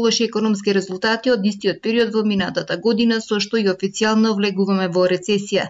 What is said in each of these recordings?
лоши економски резултати од истиот период во минатата година, со што и официјално влегуваме во рецесија.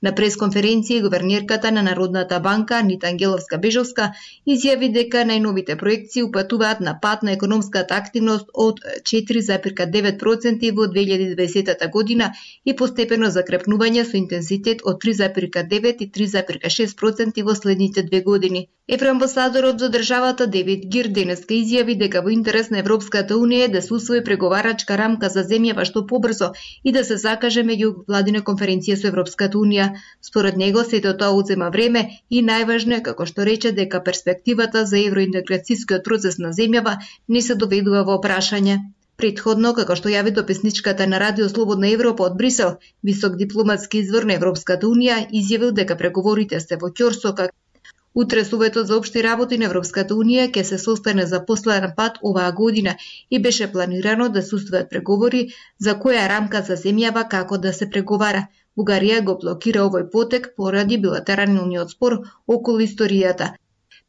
На пресконференција гувернерката на Народната банка Анита Ангеловска-Бежовска изјави дека најновите проекции упатуваат на пат на економската активност од 4,9% во 2020 година и постепено закрепнување со интензитет од 3,9 и 3,6% во следните 2 години. Евроамбасадорот за државата Девид Гир денеска изјави дека во интерес на Европската унија е да се усвои преговарачка рамка за земјава што побрзо и да се закаже меѓувладина конференција со Европската унија. Според него сето тоа одзема време и најважно е, како што рече, дека перспективата за евроинтеграцијскиот процес на земјава не се доведува во прашање. Претходно, како што јави дописничката на Радио Слободна Европа од Брисел, висок дипломатски извор на Европската унија изјавил дека преговорите се во ќорсока. Утре Советот за општи работи на Европската унија ќе се состане за последен пат оваа година и беше планирано да се устваат преговори за која рамка за земјава како да се преговара. Бугарија го блокира овој потек поради билатералниот спор околу историјата.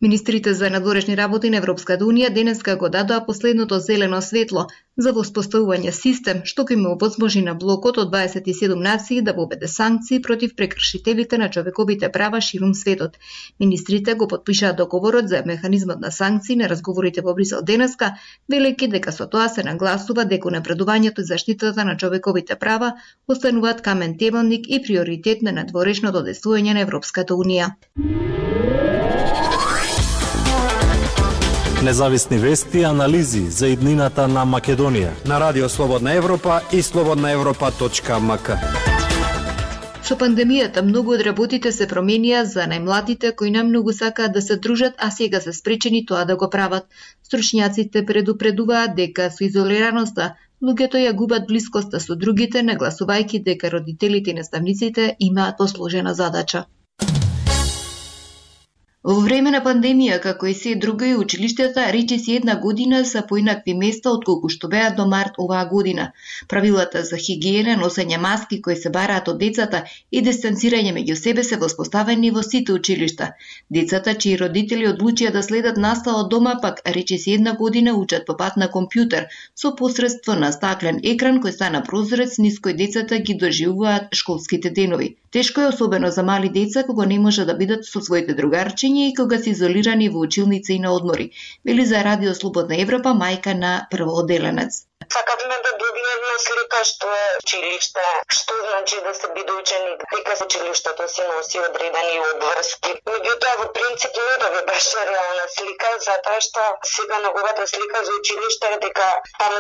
Министрите за надворешни работи на Европската унија денеска го дадоа последното зелено светло за воспоставување систем што ќе му овозможи на блокот од 27 нации да воведе санкции против прекршителите на човековите права ширум светот. Министрите го потпишаа договорот за механизмот на санкции на разговорите во Брисел денеска, велики дека со тоа се нагласува дека напредувањето и заштитата на човековите права остануваат камен темелник и приоритет на надворешното действување на Европската унија. Независни вести и анализи за иднината на Македонија на Радио Слободна Европа и slobodnaevropa.mk. Со пандемијата многу од работите се променија за најмладите кои намногу сакаат да се дружат, а сега се спречени тоа да го прават. Стручњаците предупредуваат дека со изолираноста луѓето ја губат блискоста со другите, нагласувајќи дека родителите и наставниците имаат посложена задача. Во време на пандемија, како и се друго и училиштата, речиси една година се поинакви места отколку што беа до март оваа година. Правилата за хигиена, носење маски кои се бараат од децата и дистанцирање меѓу себе се воспоставени во сите училишта. Децата чии родители одлучија да следат настава од дома, пак речиси една година учат по пат на компјутер со посредство на стаклен екран кој стана прозорец низ кој децата ги доживуваат школските денови. Тешко е особено за мали деца кога не може да бидат со своите другарчиња и кога се изолирани во училница и на одмори, вели за Радио Слободна Европа мајка на првоодделенец. Сакавме да добиеме слика што е училиште, што значи да се биде ученик, дека училиштето си носи одредени обврски. Меѓутоа, во принцип не доби баш реална слика, затоа што сега неговата слика за училиште е дека таму